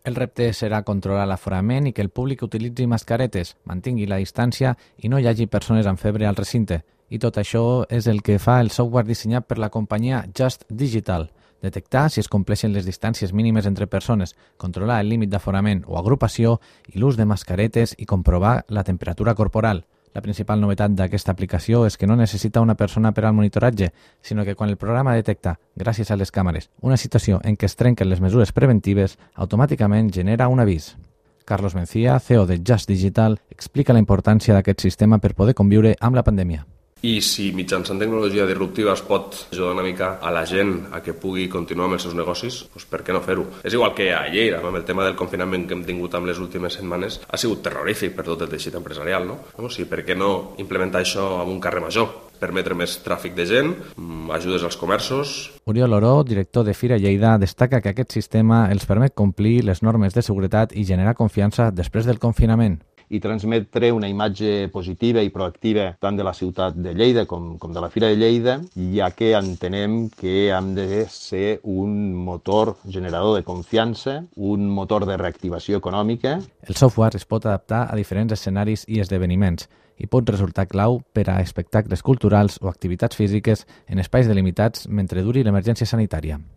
El repte serà controlar l'aforament i que el públic utilitzi mascaretes, mantingui la distància i no hi hagi persones amb febre al recinte. I tot això és el que fa el software dissenyat per la companyia Just Digital. Detectar si es compleixen les distàncies mínimes entre persones, controlar el límit d'aforament o agrupació i l'ús de mascaretes i comprovar la temperatura corporal. La principal novetat d'aquesta aplicació és que no necessita una persona per al monitoratge, sinó que quan el programa detecta, gràcies a les càmeres, una situació en què es trenquen les mesures preventives, automàticament genera un avís. Carlos Mencía, CEO de Just Digital, explica la importància d'aquest sistema per poder conviure amb la pandèmia. I si mitjançant tecnologia disruptiva es pot ajudar una mica a la gent a que pugui continuar amb els seus negocis, doncs per què no fer-ho? És igual que a Lleida, amb el tema del confinament que hem tingut amb les últimes setmanes, ha sigut terrorífic per tot el teixit empresarial, no? O sigui, per què no implementar això amb un carrer major? Permetre més tràfic de gent, ajudes als comerços. Oriol Oró, director de Fira Lleida, destaca que aquest sistema els permet complir les normes de seguretat i generar confiança després del confinament. I transmetre una imatge positiva i proactiva tant de la ciutat de Lleida com de la Fira de Lleida, ja que entenem que hem de ser un motor generador de confiança, un motor de reactivació econòmica. El software es pot adaptar a diferents escenaris i esdeveniments i pot resultar clau per a espectacles culturals o activitats físiques en espais delimitats mentre duri l'emergència sanitària.